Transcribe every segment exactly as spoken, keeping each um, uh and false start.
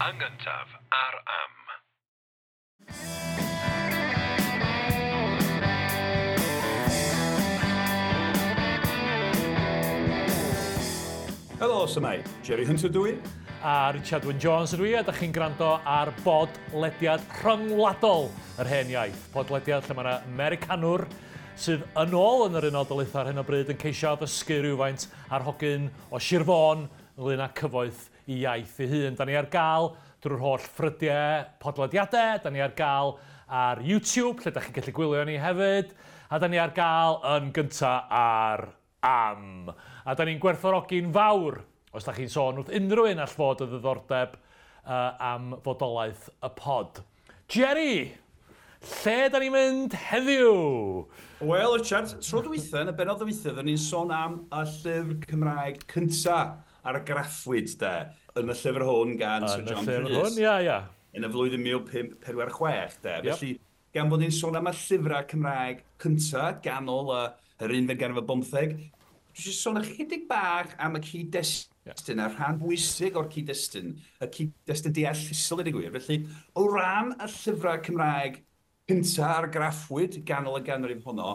Yn gyntaf ar Am. Helo, s'mai. Jerry Hunter dwi. A Richard Wyn Jones ydw i, a da chi'n gwrando ar bodlediad rhyngwladol yr Hen Iaith. Podlediad lle mae yna Americanwr sydd yn ôl yn yr Unol Daleithiau ar hyn o bryd yn ceisio addysgu rhywfaint ar hogyn o Sir Fôn ynglyn â cyfoeth i iaith ei hun. Da ni ar gael drwy'r holl ffrydiau podlediadau, da ni ar gael ar YouTube, lle da chi'n gallu gwylio ni hefyd, a da ni ar gael yn gynta ar Am. A da ni'n gwerthfawrogi'n fawr, os da chi'n sôn wrth unrhyw un all fod o ddiddordeb uh, am fodolaeth y pod. Jerry, lle da ni'n mynd heddiw? Wel, Richard, tro dwytha, yn y bennod dwytha, oedden ni'n sôn am y llyfr Cymraeg cynta argraffwyd, de, yn y llyfr hwn gan Sir John Yn y llyfr Rhys. hwn, ia, ia. Yn y flwyddyn mil pump pedwar chwech, de. Yep. Felly, gan bod ni'n sôn am y llyfrau Cymraeg cynta, ganol y yr unfed ganrif ar bymtheg, dwi eisiau sôn ychydig bach am y cyd-destun, yeah. a rhan bwysig o'r cyd-destun, y cyd-destun deallusol, ydy gwir. Felly, o ran y llyfrau Cymraeg cynta argraffwyd ganol y ganrif honno,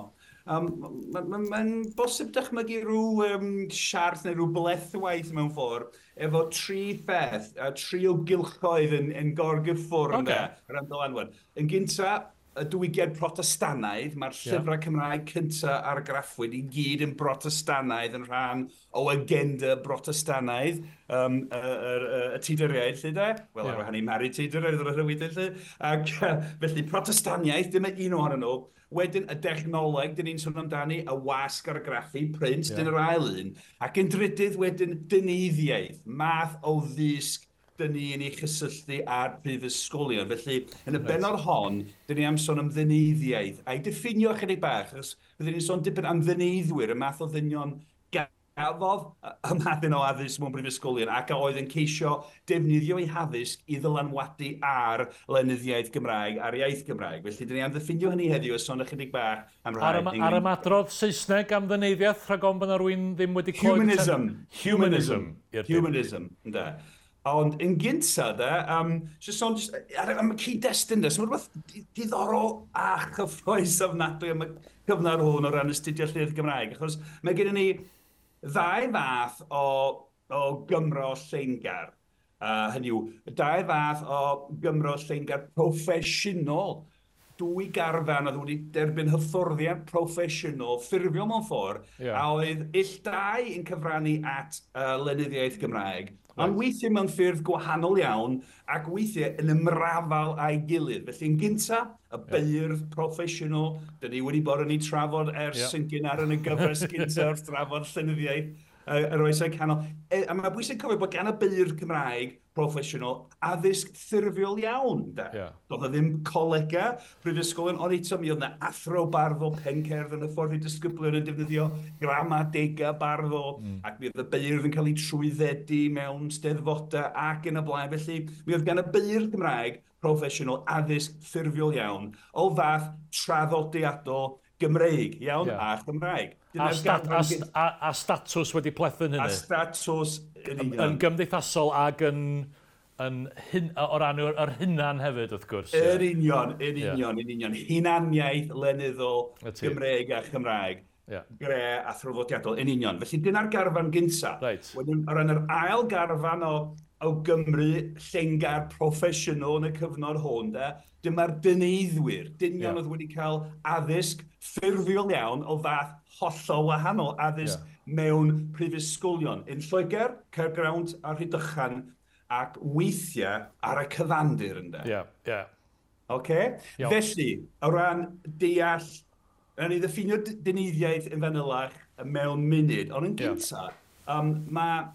um, mae'n ma, ma, ma bosib dychmygu rhyw um, siarth neu rhyw blethwaith mewn ffordd efo tri pheth, a tri o gylchoedd yn, yn gorgyffwrdd, Ocê. ynde, o ran dylanwad. Yn gynta, y diwygiad Protestannaidd, mae'r llyfrau Cymraeg cynta argraffwyd i gyd yn Brotestannaidd, yn rhan o agenda Brotestannaidd, um, y, y, y, y Tuduriaid, lle de? Wel, Ie. ar wahân i Mari Tudur, oedd yr wedyn, lle. Ac felly, Protestaniaeth, dim un ohonyn nhw. Wedyn, y dechnoleg, dyn ni'n sôn amdani, y wasg argraffu, print, Ie. dyn yr ail un. Ac yn drydydd wedyn, dyneiddiaeth, math o ddysg dyn ni yn ei chysylltu â'r prifysgolion. Felly, yn y bennod hon, dyn ni am sôn am ddyneiddiaeth, a'i diffinio ychydig bach, achos byddwn ni'n sôn dipyn am ddyneiddwyr, y math o ddynion gafodd y math yna o addysg mewn prifysgolion ac a oedd yn ceisio defnyddio eu haddysg i ddylanwadu ar lenyddiaeth Gymraeg, ar iaith Gymraeg. Felly, dyn ni am ddiffinio hynny heddiw a sôn ychydig bach am rhai. Ar, yma, ar ymadrodd Saesneg am ddyneiddiaeth, rhag ofn bod yna rywun ddim wedi clywed... Humanism. Humanism. I'r dim. Humanism, ynde. Ond yn gynta, de, um, just sôn just, ar, am y cyd-destun, de, so mae rhywbeth di- diddorol a chyffrous ofnadwy am y cyfnod hwn o ran astudio llenyddiaeth Gymraeg, achos mae gennym ni ddau fath o, o Gymro llengar. Uh, hynny yw, dau fath o Gymro llengar proffesiynol. Dwy garfan oedd wedi derbyn hyfforddiant proffesiynol, ffurfiol mewn ffordd, Ie. a oedd ill dau yn cyfrannu at uh, lenyddiaeth Gymraeg. Ond weithiau mewn ffyrdd gwahanol iawn, ac weithiau yn ymrafal â'i gilydd. Felly yn gynta, y beirdd proffesiynol, dyn ni wedi bod yn ei trafod ers Ie. yn gynnar yn y gyfres gynta wrth drafod llenyddiaeth yy, yr oesau canol. E, a mae'n bwysig cofio bod gan y beirdd Cymraeg proffesiynol addysg ffurfiol iawn. De. Ie. Doedd 'na ddim colega prifysgolion, ond eto mi oedd 'na athro barddol pencerdd yn y ffordd i disgyblion yn defnyddio gramadega barddol, mm. ac mi oedd y beirdd yn cael eu trwyddedu mewn steddfodau ac yn y blaen. Felly mi oedd gan y beirdd Cymraeg proffesiynol addysg ffurfiol iawn o fath traddodiadol Gymreig, iawn, Ie. a Chymraeg. A, Dyna'r stat, a, garfan st- a, a statws wedi plethu'n A hynny. statws yn union. Yn gymdeithasol ac yn, yn hyn, o ran yr, yr hunan hefyd, wrth gwrs. ie. Yr union, yn Ie. union, yn union. Hunaniaeth lenyddol Y ti. Gymreig a Chymraeg. Ie. Gre a thraddodiadol, yn union. Felly dyna'r garfan gynta. Reit. Wedyn, o ran yr ail garfan o, o Gymru llengar proffesiynol yn y cyfnod hwn, de, dyma'r dyneiddwyr, dynion Ie. oedd wedi cael addysg ffurfiol iawn o fath hollol wahanol, addysg Ie. mewn prifysgolion. Yn Lloegr, Caergrawnt a Rhydychen, ac weithiau ar y cyfandir, ynde. Ie, ie. Ocê? Iawn. Felly, o ran deall, rhaid ni ddiffinio d- dyneiddiaeth yn fanylach mewn munud, ond yn Ie. gynta, um, mae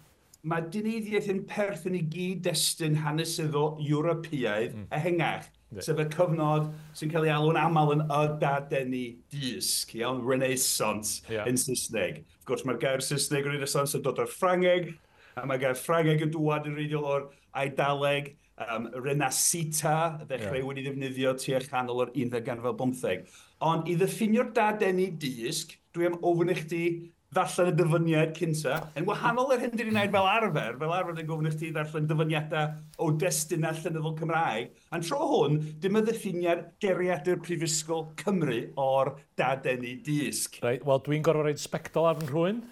ma dyneiddiaeth yn perthyn i gyd-destun hanesyddol Ewropeaidd mm. ehangach, Ie. sef y cyfnod sy'n cael ei alw'n aml yn y dadeni dysg, iawn, Renaissance Ie. yn Saesneg. Wrth gwrs, mae'r gair Saesneg Renaissance yn dod o'r Ffrangeg, a mae gair Ffrangeg yn dŵad yn wreiddiol o'r Eidaleg, um, Renascita, ddechrau Ie. wedi ddefnyddio tua chanol yr unfed ganrif ar bymtheg. Ond i ddiffinio'r dadeni dysg, dwi am ofyn i chdi ddarllen y dyfyniad cynta. Yn wahanol i'r hyn dyn ni'n gwneud fel arfer, fel arfer dwi'n gofyn i chdi ddarllen dyfyniadau o destunau llenyddol Cymraeg. A'n tro hwn, dim y ddiffiniad Geiriadur Prifysgol Cymru o'r dadeni dysg. Reit, wel dwi'n gorfod rhoid sbectol ar fy nhrwyn.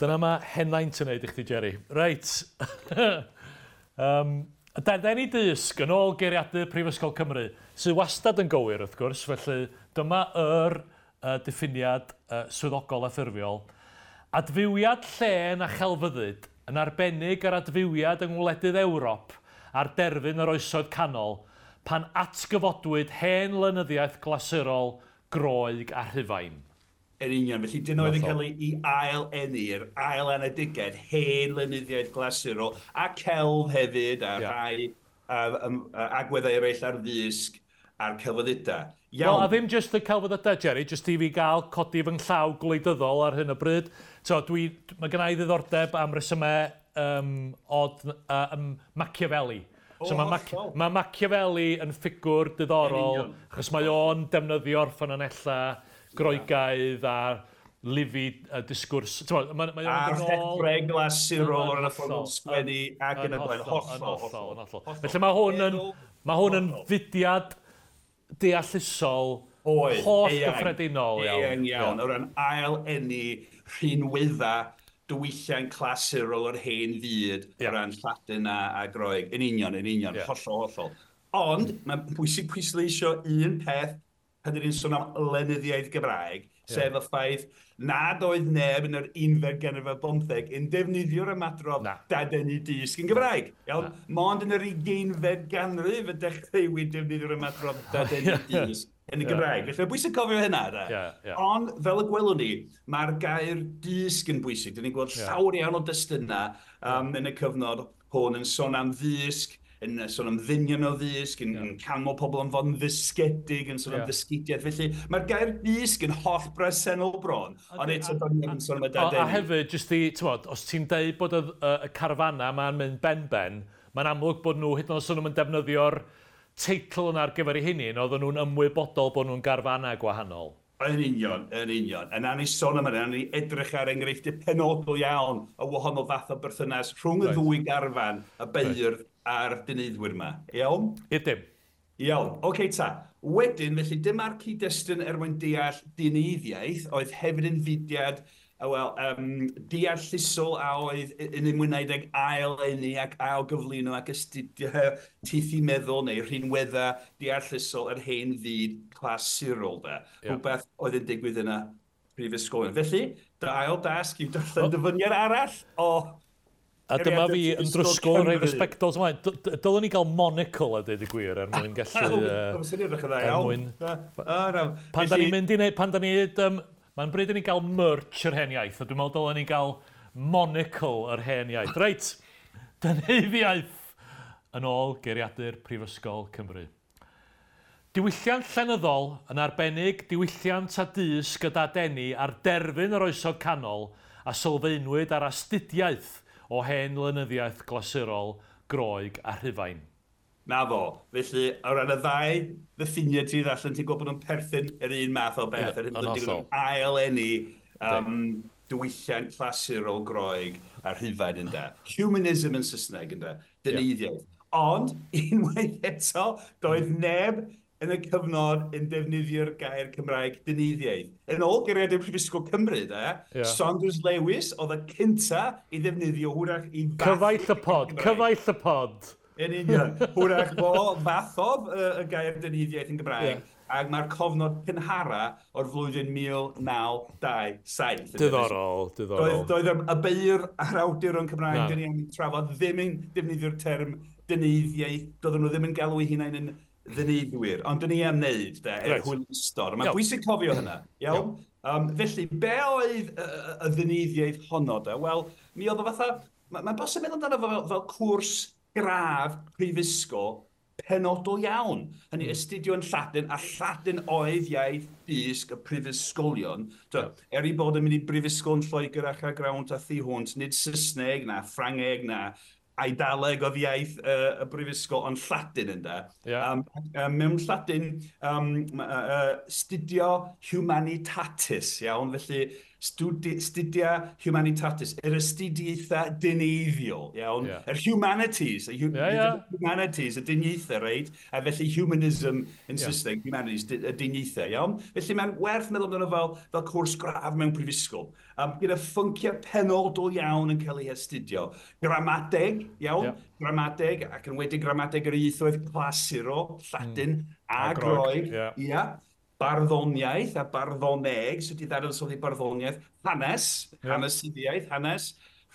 Dyna mae henaint yn neud i chdi, Jerry. Reit. um, dadeni dysg yn ôl Geiriadur Prifysgol Cymru, sydd wastad yn gywir wrth gwrs, felly dyma yr uh, diffiniad uh, swyddogol a ffurfiol. Adfywiad llên a chelfyddyd, yn arbennig yr adfywiad yng ngwledydd Ewrop ar derfyn yr oesoedd canol, pan atgyfodwyd hen lenyddiaeth glasurol, Groeg a Rhufain. Yn union, felly dyn oedd yn cael ei ail-eni'r ail-anedigaeth, hen lenyddiaeth glasurol, a celf hefyd, a yeah. rhai a, a, a, agweddau eraill ar ddysg a'r celfyddydau. Iawn. Wel, a ddim jyst y celfyddydau, Jerry, jyst i fi gael codi fy nghlaw gwleidyddol ar hyn o bryd. So, dwi, mae gen i ddiddordeb am resymau um, od, uh, um, Machiavelli. So mae Mac ma Machiavelli yn ffigwr diddorol, achos mae o'n defnyddio'r ffynonellau Groegaidd a Livy uh, disgwrs. Mae, mae a'r rhethreg glasurol o'r ffordd o'n sgwennu ac yn y blaen. Hollol, hollol, hollol. Felly mae hwn yn, mae hwn yn fudiad deallusol Oedd, holl gyffredinol. Eang iawn, o ran ail-eni rhinwedda diwylliant clasurol o'r hen fyd yeah. o ran Lladin a, a Groeg. Yn union, yn union, yeah. hollol, hollol. Ond mae'n bwysig pwysleisio un peth pan dyn ni'n sôn am lenyddiaeth Gymraeg, yeah. sef y ffaith nad oedd neb yn yr unfed ganrif ar bymtheg yn defnyddio'r ymadrodd dadeni dysg yn Gymraeg. Iawn? Mond yn yr ugeinfed ganrif y dechreuwyd defnyddio'r ymadrodd dadeni dysg yn y Gymraeg. Felly mae'n bwysig cofio hynna. Da. Yeah, yeah. Ond, fel y gwelwn ni, mae'r gair dysg yn bwysig. Dyn ni'n gweld yeah. llawer iawn o destunau um, yn y cyfnod hwn yn sôn am ddysg, yn sôn am ddynion o ddysg, yn, yeah. yn canmol pobl am fod yn ddysgedig, yn sôn yeah. am ddysgidiaeth. Felly mae'r gair dysg yn holl bresennol bron, ond eto do'n ni'n sôn am y dadeni. A hefyd, jyst i, t'mod, os ti'n deud bod y, y, y carfanna ma'n mynd ben-ben, mae'n amlwg bod nhw, hyd yn oed os nhw'n defnyddio'r teitl yna ar gyfer eu hunain, oedden nhw'n ymwybodol bod nhw'n garfanna gwahanol. Yn union, yn union. A nawn ni sôn am hynny, nawn ni edrych ar enghreifftiau penodol iawn o wahanol fath o berthynas rhwng y right. ddwy garfan, y beirdd right. a'r dyneiddwyr yma. Iawn? I'r dim. Iawn. Oce ta. Wedyn, felly dyma'r cyd-destun er mwyn deall dyneiddiaeth, oedd hefyd yn fudiad wel, um, deallusol a oedd yn ymwneud ag ail-eni ac ail-gyflwyno ac astudio teithi meddwl neu rhinweddau deallusol yr hen fyd clasurol. Da. Yeah. Rhywbeth oedd yn digwydd yna prifysgolion. Felly, dy ail dasg yw darllen oh. dyfyniad arall o... A dyma fi yn drysgol rhoi fy sbectols ymlaen. Dylwn ni gael monocle a dweud y gwir er mwyn gallu... Er mwyn... Pan da ni'n mynd i neud... Pan da ni... Mae'n bryd i ni gael merch yr hen iaith, a dwi'n meddwl dylen ni gael monocle yr hen iaith. Reit, dyneiddiaeth yn ôl Geiriadur Prifysgol Cymru. Diwylliant llenyddol, yn arbennig diwylliant a dysg gyda deni ar derfyn yr oesoedd canol a sylfaenwyd ar astudiaeth o hen lenyddiaeth glasurol, Groeg a Rhufain. Na fo. Felly, o ran y ddau ddiffiniad ti ddarllen, ti'n gwybod bod nhw'n perthyn yr un math o beth. Ie, yn hollol. Ail-eni um, diwylliant clasurol Groeg a Rhufain ynde. Humanism yn Saesneg ynde. Dyneiddiaeth. Ond, unwaith eto, doedd neb yn y cyfnod yn defnyddio'r gair Cymraeg dyneiddiaeth. Yn ôl Geiriadur Prifysgol Cymru, de, yeah. Saunders Lewis oedd y cynta i ddefnyddio hwrach i fath... Cyfaill y pod, cyfaill y pod. Yn union. Hwrach fo fathodd y, y gair dyneiddiaeth yn Gymraeg, yeah. ac mae'r cofnod cynhara o'r flwyddyn mil naw dau saith. Diddorol, diddorol. Doedd, doedd y beirdd a'r awduron Cymraeg dyn ni am trafod ddim yn defnyddio'r term dyneiddiaeth, doedden nhw ddim yn galw eu hunain yn ddyneiddwyr, ond dyn ni am wneud, de, er Right. hwylustod. Mae'n Iawn. bwysig cofio hynna, iawn? Um, felly, be oedd y, y, y ddyneiddiaeth honno, de? Wel, mi oedd o fatha, mae'n ma bosib meddwl amdano fo fel, fel cwrs gradd prifysgol penodol iawn. Hynny, astudio yn Lladin, a Lladin oedd iaith dysg y prifysgolion. So, er i bod yn mynd i brifysgol yn Lloegr ac Aergrawnt a thu hwnt, nid Saesneg na Ffrangeg na Eidaleg oedd iaith uh, y brifysgol, ond Lladin ynde. Yeah. Um, um, mewn Lladin, um, uh, studio humanitatis, iawn, felly studi, studia humanitatis, yr astudiaethau dyneiddiol, iawn, Yeah. yr humanities, y hu Yeah, yeah. humanities, y dyniaethau, reit? A felly humanism yn Yeah. Saesneg, humanities, dy- y dyniaethau, iawn? Felly mae'n werth meddwl amdano fel, fel cwrs gradd mewn prifysgol. Um, gyda phynciau penodol iawn yn cael ei astudio. Gramadeg, iawn? Yeah. Gramadeg, ac yn wedi gramadeg yr ieithoedd clasurol, Lladin mm. a, A Groeg, Groeg. ie. Ia. Barddoniaeth a barddoneg, sut i ddadansoddi barddoniaeth, hanes, Ie. hanesyddiaeth, hanes,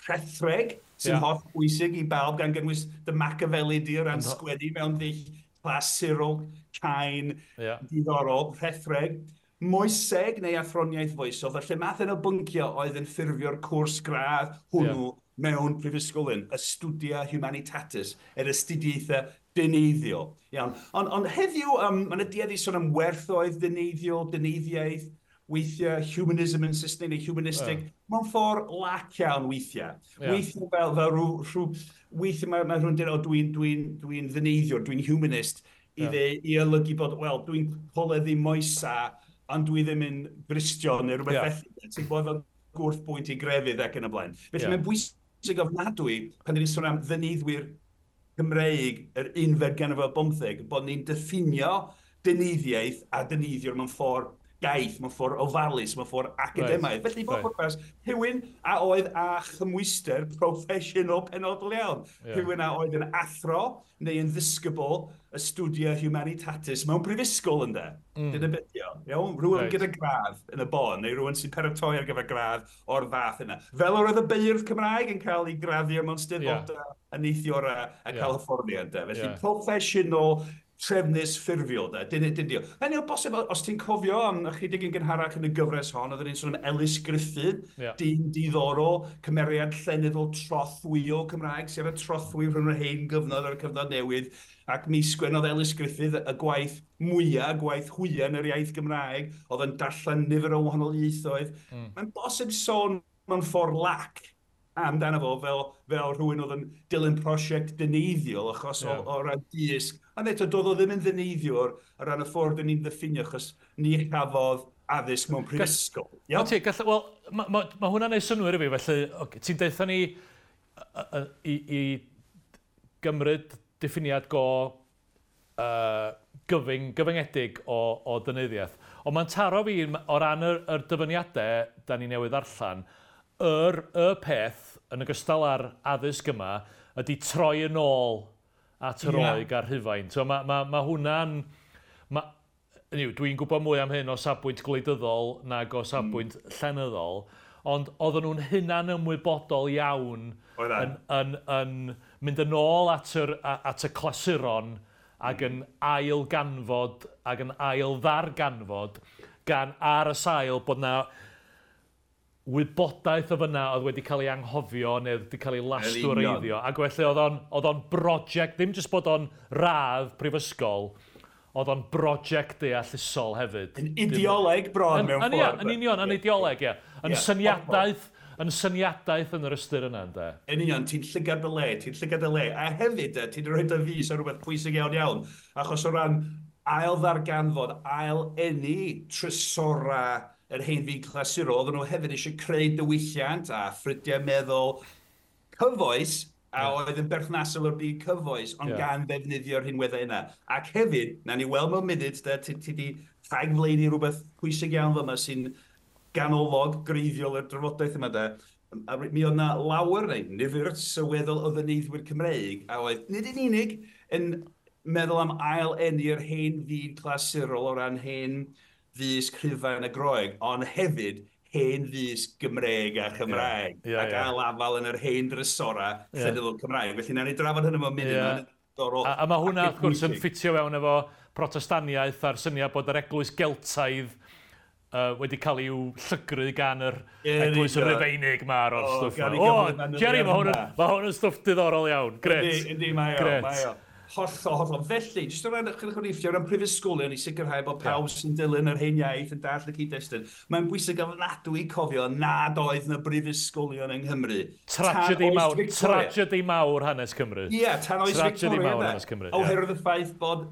rhethreg, sy'n Ie. holl bwysig i bawb gan gynnwys dy Machiavelli di o ran sgwennu mewn ddull clasurol, cain, Ie. diddorol, rhethreg, moeseg neu athroniaeth foesol, felly math yna o bynciau oedd yn ffurfio'r cwrs gradd hwnnw mewn prifysgolyn, astudia humanitatis, yr astudiaethau dyneiddiol. Iawn. Ond on heddiw, um, mae yna duedd i sôn am werthoedd dyneiddiol, dyneiddiaeth, weithiau humanism yn Saesneg neu humanistic, yeah. mewn ffordd lac iawn weithiau. Ie. Weithiau fel, fel rhyw, rhyw, weithiau mae, mae rhywun dweud, o, dwi'n dwi dwi ddyneiddiwr, dwi'n humanist, i, Ie. dde, i olygu bod, wel, dwi'n coleddu moesa, ond dwi ddim yn Gristion neu rhywbeth Ie. felly. Ti'n gwybod fel gwrthbwynt i grefydd ac yn y blaen. Felly Ie. mae'n bwysig ofnadwy pan ni'n sôn am ddyneiddwyr Cymreig yr unfed ganrif ar bymtheg, bod ni'n diffinio dyneiddiaeth a dyneiddiwr mewn ffordd gaeth, mewn ffordd ofalus, mewn ffordd academaidd. Felly, i bob Right. pwrpas, rhywun a oedd â chymwyster proffesiynol penodol iawn. Ie. Rhywun a oedd yn athro neu yn ddisgybl astudia humanitatis mewn prifysgol ynde. Mm. Dyna beth yw. Iawn? Rhywun Reit. gyda gradd yn y bon, neu rhywun sy'n paratoi ar gyfer gradd o'r fath yna. Fel yr oedd y beirdd Cymraeg yn cael ei graddio mewn steddfodau yeah. a neithiwr a, a Ie. cael hyfforddiant. de. Felly Ie. proffesiynol, trefnus, ffurfiol. De. Dyna dyna. Hynny o bosib, os ti'n cofio am ychydig yn gynharach yn y gyfres hon, oedden ni'n sôn am Elis Gruffydd, Ie. dyn diddorol, cymeriad llenyddol trothwyol Cymraeg, sef y trothwy rhwng yr hen gyfnod a'r cyfnod newydd, ac mi sgwennodd Elis Gruffydd y gwaith mwyaf, gwaith hwya yn yr iaith Gymraeg, oedd yn darllen nifer o wahanol ieithoedd. Mm. Mae'n bosib sôn mewn ffordd lac amdano fo fel, fel rhywun oedd yn dilyn prosiect dyneiddiol achos Ie. yeah. o, o ran dysg. Ond eto, doedd o ddim yn ddyneiddiwr o ran y ffordd dyn ni'n ddiffinio achos ni chafodd addysg mewn prifysgol. Iawn. Ti, gall, wel, mae ma, ma hwnna'n neud synnwyr i fi, felly okay, ti'n deutha ni y- y- i, i gymryd diffiniad go uh, gyfyng, gyfyngedig o, o dynyddiaeth. Ond mae'n taro fi o ran yr, yr dyfyniadau da ni newydd darllen, yr, y peth yn ogystal â'r addysg yma ydy troi yn ôl at yr Ie. Roeg a'r Rhufain. So mae ma, ma hwnna'n... Ma, hynny yw, dwi'n gwybod mwy am hyn o safbwynt gwleidyddol nag o safbwynt mm. llenyddol, ond oedden nhw'n hunan ymwybodol iawn Oedden. yn, yn, yn mynd yn ôl at, yr, a- at y clasuron ac yn ail ganfod ac yn ail ddarganfod gan ar y sail bod na wybodaeth o fyna oedd wedi cael ei anghofio neu wedi cael ei lastwreiddio. Ac felly oedd o'n, oedd o'n brosiect, ddim jyst bod o'n radd prifysgol, oedd o'n brosiect deallusol hefyd. Yn ideoleg bron Yn, mewn yn, ia, ffordd. yn union, yn ideoleg, ie. Yn Ie, syniadaeth, yn syniadaeth yn yr ystyr yna, ynde. Yn union, ti'n llygad dy le, ti'n llygad dy le. A hefyd, eh, ti'n rhoi dy fys ar rhywbeth pwysig iawn iawn, achos o ran ail ddarganfod, ail eni trysora yr hen fyd clasurol, oedden nhw hefyd eisiau creu diwylliant a ffrydiau meddwl cyfoes, a Ie. oedd yn berthnasol o'r byd cyfoes, ond Ie. gan ddefnyddio'r rhinweddau yna. Ac hefyd, na ni weld mewn munud, de, ti, ti di rhagflaenu rhywbeth pwysig iawn fyma sy'n ganolog, greiddiol i'r drafodaeth yma, de. A mi oedd na lawer neu nifer sylweddol o ddyneiddwyr Cymreig a oedd nid yn unig yn meddwl am ail eni'r hen fyd clasurol o ran hen ddysg Rhufain a Groeg, ond hefyd hen ddysg Gymreig a Chymraeg, Ie, ie, ac ie. ail afal yn yr hen drysora Ie. llenyddol Cymraeg. Felly, nawn ni drafod hynny mewn munud. Ie. Mae'n ddiddorol A, a mae hwnna, ac wrth gwrs, yn pwysig. ffitio fewn efo protestaniaeth a'r syniad bod yr eglwys Geltaidd uh, wedi cael i'w llygru gan yr Ie, yn eglwys union. Rufeinig ma ar o'r O, stwff gan ma. i O, gymryd manylion Jerry, mae hwn yn, hwnna. ma hwn yn stwff diddorol iawn. Gret. Yndi, yndi, mae o, Gret. mae o. Hollol, hollol. Felly, jyst o ran ychydig o riffiau, o ran prifysgolion i sicrhau bod pawb yeah. sy'n dilyn yr hen iaith yn dallt y cyd-destun, mae'n bwysig ofnadwy cofio nad oedd na brifysgolion yng Nghymru. Tragedy mawr, tragedy mawr hanes Cymru. Ie, yeah, tan oes Tragedy Victoria. Mawr hanes Cymru. Oherwydd y ffaith bod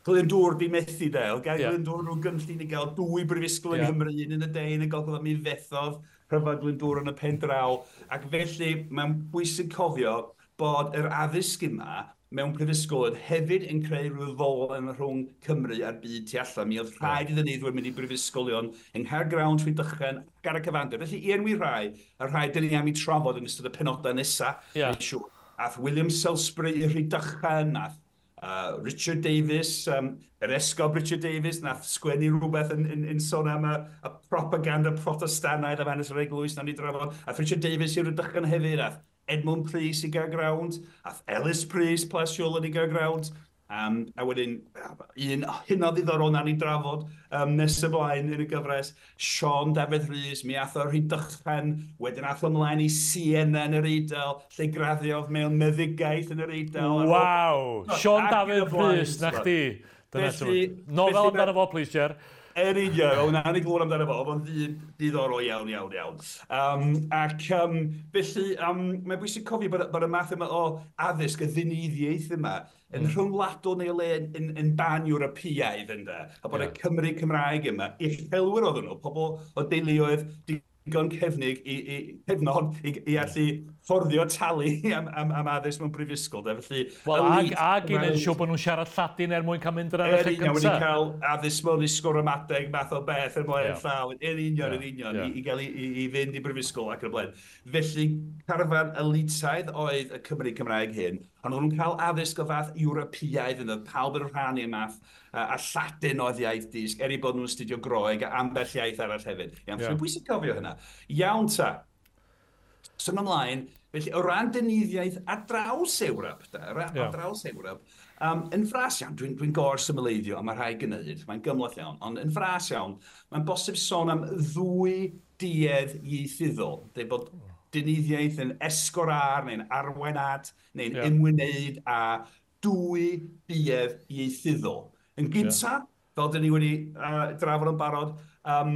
Glyndŵr di methu de. Oedd gan yeah. Glyndŵr rhyw gynllun i gael dwy brifysgol yng yeah. Nghymru, un yn y de, un yn y gogledd, mi fethodd rhyfedd Glyndŵr yn y pen draw. Ac felly, mae'n bwysig cofio bod yr addysg yma mewn prifysgol hefyd yn creu rhyw ddolen rhwng Cymru a'r byd tu allan. Mi oedd rhaid i ddyneiddwyr mynd i brifysgolion yng Nghaergrawnt, Rhydychen ac ar y cyfandir. Felly, i enwi rhai, y rhai dyn ni am i trafod yn ystod y penodau nesaf. Yeah. Siŵr. Ath William Salisbury i Rhydychen, ath uh, Richard Davies, um, yr esgob Richard Davies, nath sgwennu rhywbeth yn, yn, yn sôn am y, y propaganda Protestanaidd am hanes yr eglwys, nawn ni drafod. Ath Richard Davies i Rhydychen hefyd, ath Edmund Prys i Gaergrawnt, ath Ellis Prys Plas Iolen i Gaergrawnt, um, a wedyn un hynod ddiddorol nawn ni drafod um, nes ymlaen yn y gyfres, Siôn Dafydd Rhys, mi ath o Rhydychen, wedyn ath o ymlaen i Siena yn yr Eidal, lle graddiodd mewn meddygaeth yn yr Eidal. Waw! Siôn Dafydd Rhys, na chdi. Dyna Felly, nofel amdano fo, please, Jer. Yn union, o, na ni glywed amdano fo, oedd o'n ddyn diddorol iawn, iawn, iawn. Um, ac um, felly, um, mae'n bwysig cofio bod, bod y math yma o addysg, y ddyneiddiaeth yma, yn mm. rhyngwladol neu le yn, yn, yn ban-Ewropeaidd ynde, a bod yeah. y Cymry Cymraeg yma, uchelwyr oedden nhw, pobl o deuluoedd digon cefnig i, i, cefnog i, i allu fforddio talu am, am, am addysg mewn brifysgol. De. Felly, Wel, ag, ag i wneud siŵr bod nhw'n siarad Lladin er mwyn cael mynd yr Yn lle union, wedi gyntaf. cael addysg mewn ysgol-ramadeg, math o beth yn blaen Ie. llaw. Yn union, Ie, yn union, ie. i, i gael i, i, i fynd i brifysgol ac yn y blaen. Felly, carfan elitaidd oedd y Cymry Cymraeg hyn, ond oedden nhw'n cael addysg o fath Ewropeaidd yn oedd pawb yn rhannu y math, a, a Lladin oedd iaith dysg, er i bod nhw'n astudio Groeg a ambell iaith arall hefyd. Iawn, Ie. yeah. Bwysig cofio hynna. Iawn ta. Symud ymlaen, felly o ran dynyddiaeth ar draws Ewrop, da, ar, Ie. ar draws Ewrop, um, yn fras iawn, dwi'n dwi gor symleiddio, a mae rhai gwneud, mae'n gymhleth iawn, ond yn fras iawn, mae'n bosib sôn am ddwy duedd ieithyddol. Dweud bod dynyddiaeth yn esgor ar, neu'n arwain at, neu'n Ie. ymwneud â dwy duedd ieithyddol. Yn gynta, fel dyn ni wedi uh, drafod yn barod, um,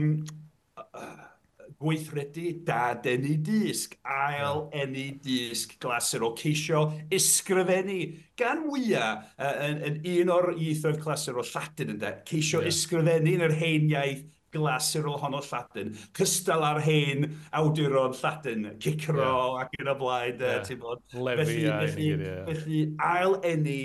gweithredu dadeni dysg, ail eni dysg glasurol, ceisio ysgrifennu gan fwyaf uh, yn, yn un o'r ieithoedd clasurol Lladin ynde, ceisio Ie. ysgrifennu yn yr hen iaith glasurol honno Lladin, cystal ar hen awduron Lladin, Cicero Ie. ac yn y blaen, Ie. yeah. ti'n bod. Lefi Felly, a felly, hyn i gyd, ie. felly ail eni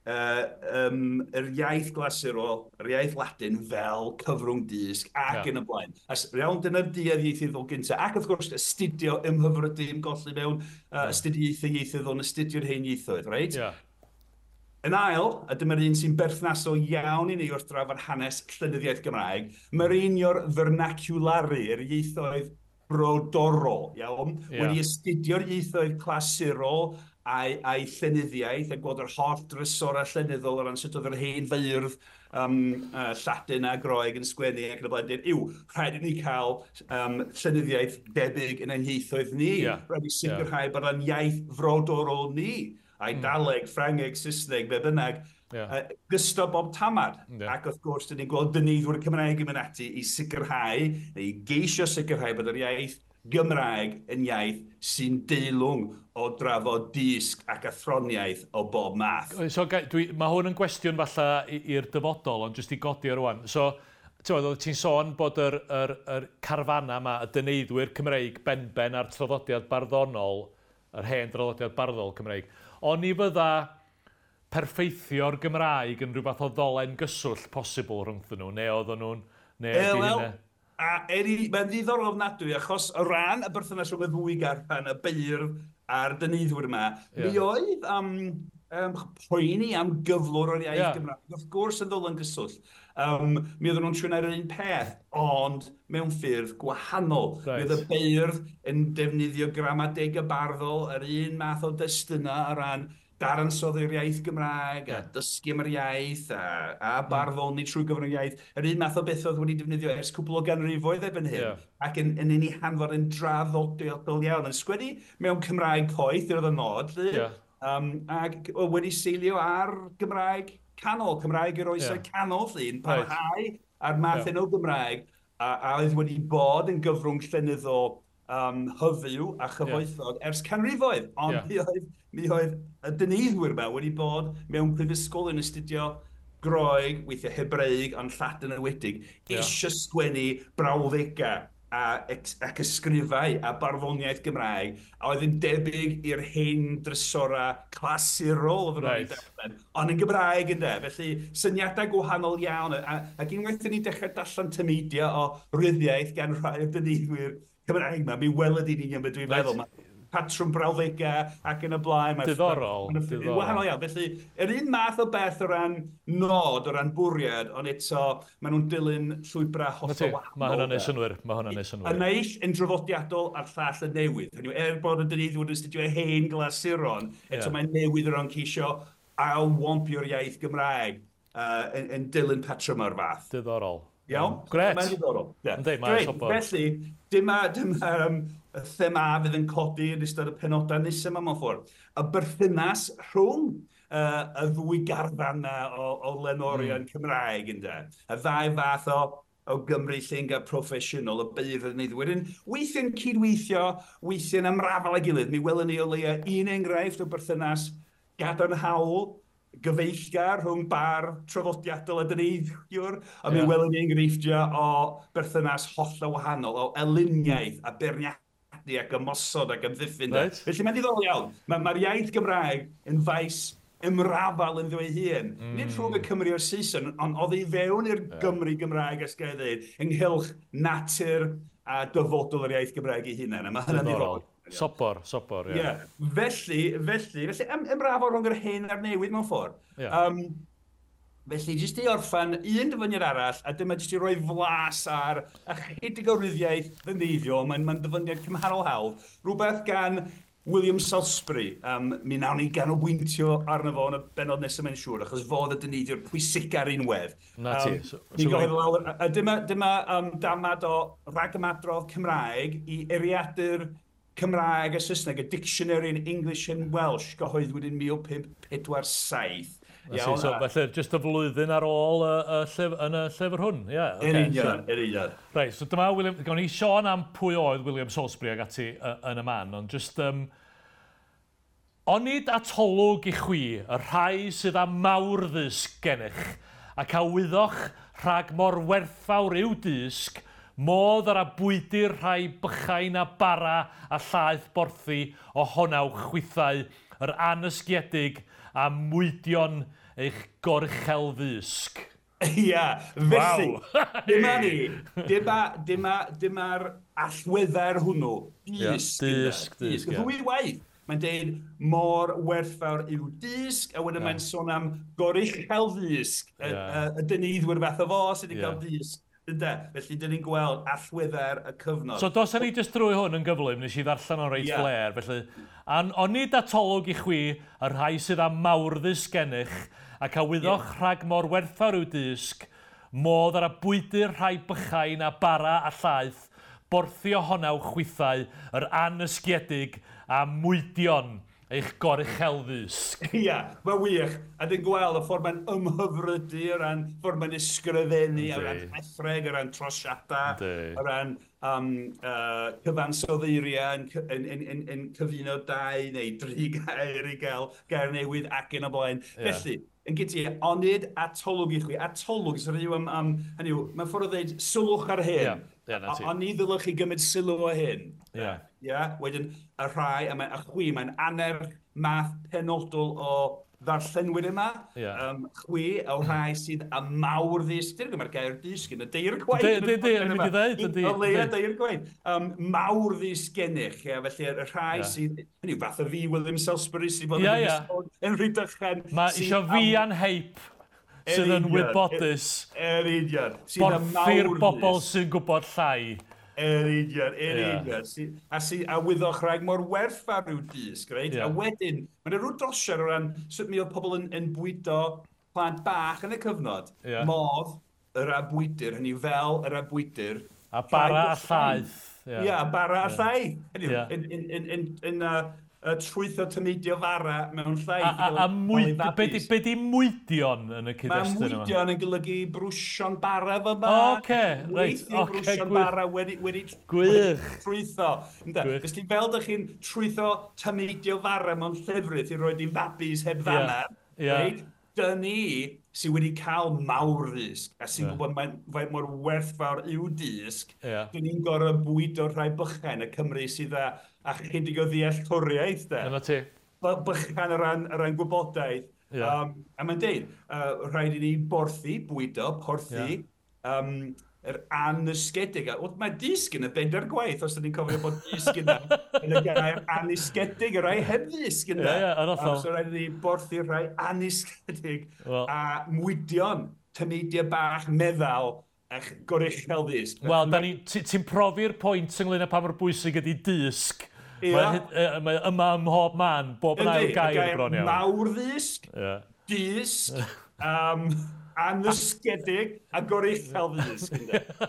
uh, um, yr iaith glasurol, yr iaith Ladin fel cyfrwng dysg ac Ie. yn y blaen. A s- iawn, dyna'r duedd ieithyddol gyntaf. Ac wrth gwrs, astudio ymhyfrydu, ymgolli mewn uh, astudiaethau ieithyddol yn astudio'r hen ieithoedd, reit? Ie. Yn ail, a dyma'r un sy'n berthnasol iawn i ni wrth drafod hanes llenyddiaeth Gymraeg, mireinio'r vernaculari, yr ieithoedd brodorol, iawn? Ie. Wedi astudio'r ieithoedd clasurol a'i, a'i llenyddiaeth a gweld yr holl drysorau llenyddol o ran sut oedd yr hen feirdd um, uh, Lladin a Groeg yn sgwennu ac yn y blaen, dweud, yw, rhaid i ni cael um, llenyddiaeth debyg yn ein ieithoedd ni. Ie. Rhaid i sicrhau bod o'n iaith frodorol ni, Eidaleg, Ffrangeg, Saesneg, be bynnag, Ie. uh, gysto bob tamad. Ie. Ac wrth gwrs, dyn ni'n gweld dyneiddwyr Cymraeg yn mynd ati i sicrhau, neu i geisio sicrhau bod yr iaith Gymraeg yn iaith sy'n deilwng o drafod dysg ac athroniaeth o bob math. So, ga- dwi, mae hwn yn gwestiwn falle i- i'r dyfodol, ond jyst i godi o rwan. So, ti'n oedd ti'n sôn bod yr, yr, yr carfana yma, y dyneiddwyr Cymreig benben a'r traddodiad barddonol, yr hen draddodiad barddol Cymreig, ond ni fydda perffeithio'r Gymraeg yn rhywbeth o ddolen gyswllt posibl rhwngthyn nhw, neu oedden nhw'n... Neu E, ydi wel, hynna? a eri, mae'n ddiddorol ofnadwy, achos o ran y berthynas rhwng y ddwy garfan, y beirdd a'r dyneiddwyr yma, Ie. mi oedd um, um, poeni am gyflwr o'r iaith Ie. Gymraeg. Wrth gwrs yn ddolen gyswllt. Um, mi oedden nhw'n trio yr un peth, ond mewn ffyrdd gwahanol. Reit. Mi oedd y beirdd yn defnyddio gramadeg y barddol, yr un math o destunau o ran dadansoddi'r iaith Gymraeg, a dysgu am yr iaith, a, a barddoni trwy gyfrwng yr iaith. Yr un math o beth oedd wedi defnyddio ers cwpl o ganrifoedd erbyn hyn. Ie. Ac yn, yn ei hanfod yn draddodiadol iawn. Yn sgwennu mewn Cymraeg coeth, yr oedd y nod, lly. Ie. Um, ac wedi seilio ar Gymraeg canol, Cymraeg yr oesau yeah. canol, llun, parhau right. a'r math yeah. o Gymraeg, a, a oedd wedi bod yn gyfrwng llenyddol um, hyfyw a chyfoethog yeah. ers canrifoedd. Ond yeah. mi oedd, mi oedd y dyneiddwyr yma wedi bod mewn prifysgol yn astudio Groeg, weithiau Hebraeg, ond Lladin enwedig, yeah. eisiau sgwennu brawddegau a, ac ysgrifau a barddoniaeth Gymraeg, a oedd yn debyg i'r hen drysora clasurol oedd right. nhw'n ond yn Gymraeg ynde. Felly syniadau gwahanol iawn, a, ac unwaith ni dechrau darllen tameidiau o ryddiaeth gan rhai o'r dyneiddwyr Cymraeg yma, mi weled i'n union beth dwi'n right. meddwl. Ma, patrwm brawddegau ac yn y blaen. Mae diddorol. Diddorol. Wahanol iawn. Felly, yr un math o beth o ran nod, o ran bwriad, ond eto, maen nhw'n dilyn llwybrau hollol wahanol. Mae hwnna'n neud synnwyr. Mae hwnna'n neud synnwyr. Y naill yn draddodiadol a'r llall yn newydd. Hynny yw, er bod y dyneiddwyr yn astudio hen glasuron, eto yeah. mae'n newydd o ran ceisio ailwampio'r iaith Gymraeg uh, yn, yn dilyn patrwm o'r fath. Diddorol. Iawn? Gret. Mae'n diddorol. Yeah. Yndi, mae'n sobor. Felly, dyma, dyma um, y thema fydd yn codi yn ystod y penodau nesaf yma mewn ffordd. Y berthynas rhwng uh, y ddwy garfan o, o lenorion mm. Cymraeg, ynde. Y ddau fath o, o Gymru llengar proffesiynol, y beirdd yn eiddwyr. Weithiau'n cydweithio, weithiau'n ymrafal â'i gilydd. Mi welwn ni o leia un enghraifft o berthynas gadarnhaol, gyfeillgar rhwng bar traddodiadol a dyneiddiwr, a mi yeah. welwn ni enghreifftiau o berthynas hollol wahanol, o elyniaeth a beirniadu ac ymosod ac amddiffyn. Right. Felly mae'n diddorol iawn. Mae'r ma iaith Gymraeg yn faes ymrafal ynddo ei hun. Mm. Nid rhwng y Cymru a'r Saeson, ond oedd ei fewn i'r yeah. Gymru Gymraeg, as gael ei ddweud, ynghylch natur a dyfodol yr iaith Gymraeg ei hunan. A mae hynny'n diddorol. Sobor, sobor, ie. Yeah. Felly, felly, felly, ym, ymrafal rhwng yr hen a'r newydd mewn ffordd. Yeah. Um, felly, jyst i orffan un dyfyniad arall, a dyma jyst i roi flas ar ychydig o ryddiaith ddyneiddiol, mae'n mae dyfyniad cymharol hawdd, rhywbeth gan William Salisbury. Um, mi nawn ni ganolbwyntio arno fo yn y bennod nesaf mae'n siŵr, achos fo oedd y dyneiddiwr pwysica'r unwedd. Na ti. Um, so, ni'n so gofyn lawr, a dyma, dyma um, damad o ragymadrodd Cymraeg i eiriadur Cymraeg a Saesneg, a Dictionary in English and Welsh, gyhoeddwyd yn mil pump pedwar saith. Iawn, so, felly, jyst y flwyddyn ar ôl y, y llyf, yn y llyfr hwn. Yeah, okay. Yn union, yn union. Reit, so dyma William, gawn ni sôn am pwy oedd William Salisbury ag ati yn y man, ond jyst... Um, onid atolwg i chwi, y rhai sydd â mawr ddysg gennych, ac a wyddoch rhag mor werthfawr yw dysg, modd ar abwydyr rhai bychain a bara a llaeth borthi ohonaw chwithau, yr anysgiedig a mwydion eich goruchel ddysg. Ia, felly, wow. dyma ni, dyma, dyma, dyma'r allweddair hwnnw, dysg. Yeah, dysg, dysg, dysg. Ddwy waith. Mae'n deud mor werthfawr yw dysg, a wedyn yeah. mae'n sôn am goruchel ddysg, y, yeah. y, y dyneiddwyr fath o fo sydd wedi yeah. cael dysg. Ynde? Felly, dyn ni'n gweld allweddair y cyfnod. So, dos ni jyst drwy hwn yn gyflym, nes i ddarllen o'n reit yeah. fler. Felly, an, onid atolwg i chwi, y rhai sydd â mawr ddysg gennych, ac a wyddoch yeah. rhag mor werthfawr yw dysg, modd ar abwydyr rhai bychain a bara a llaeth, borthi ohonaw chwithau, yr anysgiedig a mwydion eich goruchel ddysg. Ia, mae'n wych. A dyn gweld y ffordd mae'n ymhyfrydu o ran ffordd mae'n ysgrifennu, o ran rhethreg, o ran trosiadau, o ran um, uh, cyfansoddeiriau yn, yn, yn, yn, yn cyfuno dau neu dri gair i gael gair newydd ac yn y blaen. Yeah. Felly, yn gyda, onid atolwg i chwi. Atolwg, sy'n rhyw am, am, hynny yw, mae'n ffordd o ddeud sylwch ar hyn. Yeah. Yeah, na ti. Oni ddylech chi gymryd sylw o hyn. Yeah. Yeah. Wedyn, y rhai, a, mae, a chwi, mae'n annerch math penodol o ddarllenwyr yma. Yeah. Um, chwi, o rhai sydd â mawr ddysg. Dyna mae'r gair dysg yn y deir gwaith. Yndi, yndi, yn mynd i ddeud, yndi. O leia deir gwaith. Um, mawr ddysg gennych, yeah, felly y rhai yeah. sydd, hynny yw, fath o fi, William Salisbury, sydd fod yeah, yn yeah. yn Rhydychen. Mae isio fi a'n heip sydd yn wybodus. Yr union. Borthi'r bobl sy'n gwybod llai. Yr union, yr union. A, sy, a wyddoch rhag mor werthfawr yw dysg, reit? Yeah. A wedyn, mae'n rhyw drosiad o ran sut mi oedd pobl yn, yn bwydo plant bach yn y cyfnod. Yeah. Modd yr abwydyr, hynny fel yr abwydyr. A bara a llaeth. Ia, yeah, bara a llaeth. Hynny Yeah. yn, yn, yn, yn, yn, uh, uh, trwytho tameidio fara mewn llaeth. A, a, a mwyd, be di, be di mwydion yn y cyd-destun yma? Mae mwydion yn golygu brwsio'n bara fy ma. Oce, reit. Weithiau brwsio'n bara wedi, wedi, gwych. Wedi trwytho. Felly fel dych chi'n trwytho tameidio fara mewn llefrith i roed i fabis heb ddannedd, yeah. yeah. reit? Dyn ni sydd wedi cael mawr ddysg a sy'n yeah. gwybod mae'n faint mor werthfawr yw dysg, yeah. dyn ni'n gorfod bwydo rhai bychain y Cymru sydd â, â chydig o ddealltwriaeth. De. Dyna ti. Bychan o ran, o ran gwybodaeth. Yeah. Um, a mae'n deud, uh, rhaid i ni borthi, bwydo, porthi, yeah. um, yr anysgedig. Wel, mae dysg yn y bedair gwaith, os ydyn ni'n cofio bod dysg yna yn y gair anysgedig, y rhai heb ddysg yna. Ie, ie, yn hollol. So rhaid i ni borthi'r rhai anysgedig well. a mwydion, tameidiau bach, meddal, a'ch goruchel ddysg. Wel, ti'n profi'r pwynt ynglyn â pa mor bwysig ydy dysg. Ie. Mae, mae yma ym mhob man, bob yn ail gair bron iawn. Mawr ddysg, yeah. dysg, um, anysgedig a goruchel ddysg.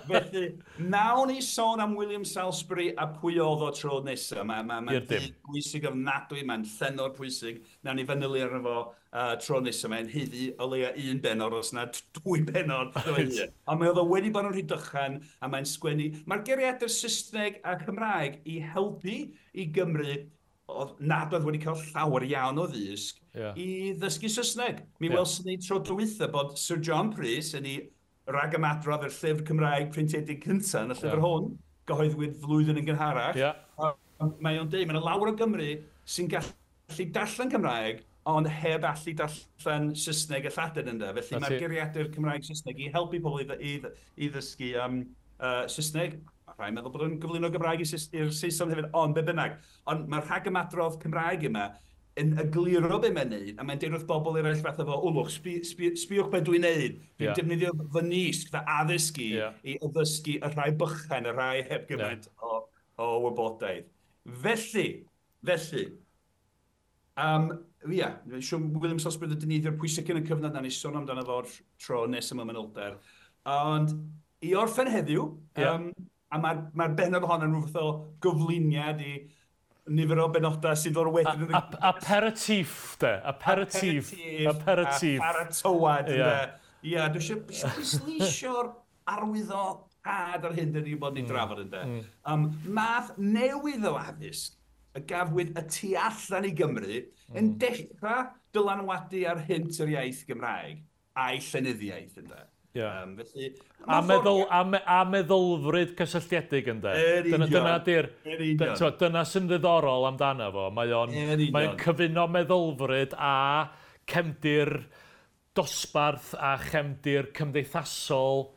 Felly, nawn ni sôn am William Salisbury a pwy oedd o tro nesaf. Mae'n ma, ma I'r dim. bwysig ofnadwy, mae'n llenor pwysig. Nawn ni fanylu arno fo uh, tro nesaf. Mae'n haeddu o leia un benod, os na dwy benod. Ond mae oedd o wedi bod yn Rhydychen a mae'n sgwennu. Mae'r geiriadur Saesneg a Cymraeg i helpu i Gymru oedd nad oedd wedi cael llawer iawn o ddysg yeah. i ddysgu Saesneg. Mi yeah. welson ni tro dwytha bod Sir John Prys yn ei ragymadrodd yr llyfr Cymraeg printiedig cyntaf yn y llyfr yeah. hwn, gyhoeddwyd flwyddyn yn gynharach. Yeah. Mae o'n deud, mae yna lawer o Gymru sy'n gallu darllen Cymraeg, ond heb allu darllen Saesneg a Lladin ynddo. Felly mae'r geiriadur Cymraeg Saesneg i helpu pobl i, i, i ddysgu um, uh, Saesneg. Rhaid meddwl bod o'n gyflwyno Gymraeg i'r Saeson hefyd, ond be bynnag. Ond mae'r rhagymadrodd Cymraeg yma yn egluro be mae'n neud, a mae'n deud wrth bobl eraill fatha fo, o lwch, sbi, sbi, sbiwch be dwi'n neud. Dwi'n yeah. defnyddio fy nisg, fy addysgu, yeah. i addysgu y rhai bychain, y rhai heb gymaint yeah. o, o wybodaeth. Felly, felly, um, ia, siwr William Salisbury y dyneiddio'r pwysig yn y cyfnod na ni sôn amdano fo'r tro nes yma manylder. Ond i orffen heddiw, yeah. um, a mae'r mae bennod hon yn rhywbeth o gyflwyniad i nifer o benodau sy'n dod wedyn. A, a, aperitif, de. Aperitif. Aperitif. Aperitif. A paratoad, yeah. de. Ia, dwi eisiau pwysleisio'r arwyddocâd ar hyn dyn ni bod ni'n mm. drafod, ynde. Mm. Um, math newydd o addysg y gafwyd y tu allan i Gymru mm. yn dechrau dylanwadu ar hynt yr iaith Gymraeg a'i llenyddiaeth, ynde. Yeah. Um, felly, a, meddwl, a, me, a meddylfryd cysylltiedig ynde. Dyna, dyna, di'r, dyna, dyna sy'n ddiddorol amdano fo. Mae o'n, mae o'n cyfuno meddylfryd a cefndir dosbarth a chefndir cymdeithasol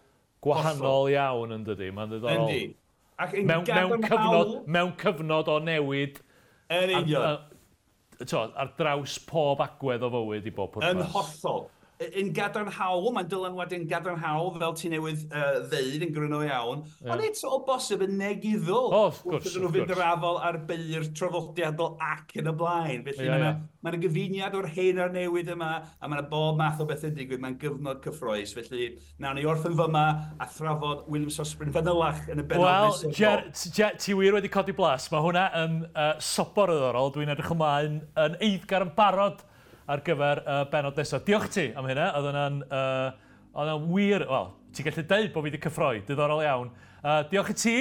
gwahanol Hollol. iawn yn dydi. Mae'n ddiddorol. Yndi. Ac yn mewn, mewn, cyfnod, mewn cyfnod o newid Yn union. Ar, ar, ar draws pob agwedd o fywyd i bob pwrpas. Yn hollol. Yn gadarnhaol, mae'n dylanwadu yn gadarnhaol, fel ti newydd uh, ddeud yn gryno iawn, yeah. ond eto o bosib yn negyddol. O, wrth gwrs, wrth iddyn nhw fynd yr afal ar beir traddodiadol ac yn y blaen. Felly yeah, mae yeah. yna gyfuniad o'r hen a'r newydd yma, a mae yna bob math o bethau'n digwydd, mae'n gyfnod cyffrous. Felly, nawn ni orffen fyma a thrafod William Salisbury yn fanylach yn y bennod Wel, nesaf. Jer, Jer, ti wir wedi codi blas. Mae hwnna yn uh, sobor o ddiddorol. Dwi'n edrych ymlaen yn eiddgar yn barod ar gyfer uh, bennod nesaf. Diolch ti am hynna. Oedd hwnna'n uh, oedd hwnna'n wir... Wel, ti'n gallu deud bod fi wedi cyffroi. Diddorol iawn. Uh, diolch i ti.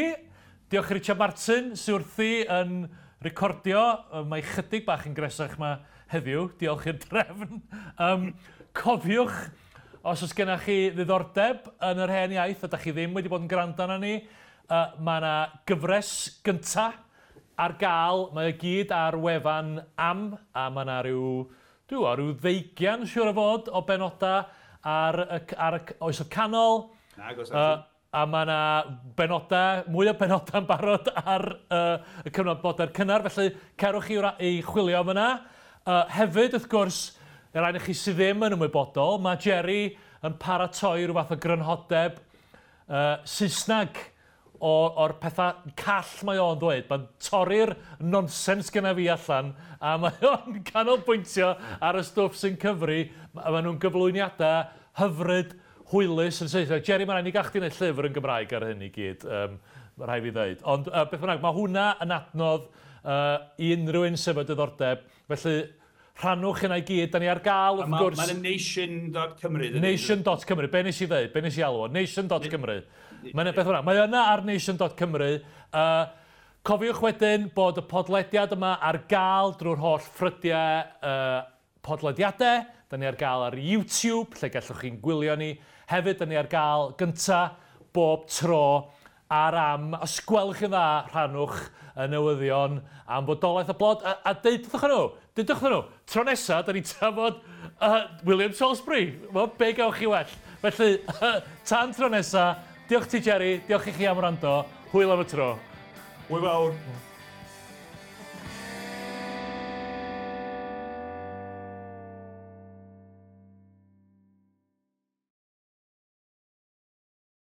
Diolch i Richard Martin sydd wrthi yn recordio. Uh, mae chydig bach yn gresach ma heddiw. Diolch i'r drefn. Um, cofiwch, os oes gennych chi ddiddordeb yn yr hen iaith, a da chi ddim wedi bod yn gwrando arno ni, uh, mae yna gyfres gynta ar gael. Mae o gyd ar wefan am, a mae yna rhyw... Dwi'n gwybod, rhyw ddeugian, siŵr o fod, o benodau ar y, ar y oesoedd canol. Nag oes uh, a mae yna benodau, mwy o benodau yn barod ar uh, y cyfnod modern cynnar, felly cerwch chi i chwilio am yna. Uh, hefyd, wrth gwrs, y rhaid i chi sydd ddim yn ymwybodol, mae Jerry yn paratoi rhyw fath o grynhodeb uh, Saesneg o'r pethau call mae o'n dweud. Mae'n torri'r nonsens gyda fi allan, a mae o'n canolbwyntio ar y stwff sy'n cyfri. Maen nhw'n gyflwyniadau hyfryd, hwylus yn Saesneg. Jerry, mae'n rhaid ni gael chdi wneud llyfr yn Gymraeg ar hyn i gyd, um, mae rhaid fi ddeud. Ond uh, beth bynnag, mae hwnna yn adnodd uh, i unrhyw un sydd efo diddordeb. Felly, rhannwch hynna i gyd. Da ni ar gael, wrth gwrs. Mae'n nation dot cymru. Nation dot cymru. Be nes i ddeud? Be nes i alw o? Nation dot cymru. Mae'n beth hwnna. Mae yna ar nation dot cymru. Uh, cofiwch wedyn bod y podlediad yma ar gael drwy'r holl ffrydiau uh, podlediadau. Da ni ar gael ar YouTube, lle gallwch chi'n gwylio ni. Hefyd, da ni ar gael gynta bob tro ar Am. Os gwelwch yn dda, rhannwch y newyddion am fodolaeth y blod. A, a deudwch nhw, deudwch nhw, tro nesa, da ni'n trafod uh, William Salisbury. Wel, be gewch chi well? Felly, tan tro nesa, diolch ti, Jerry, diolch i chi am wrando. Hwyl am y tro. Hwyl fawr.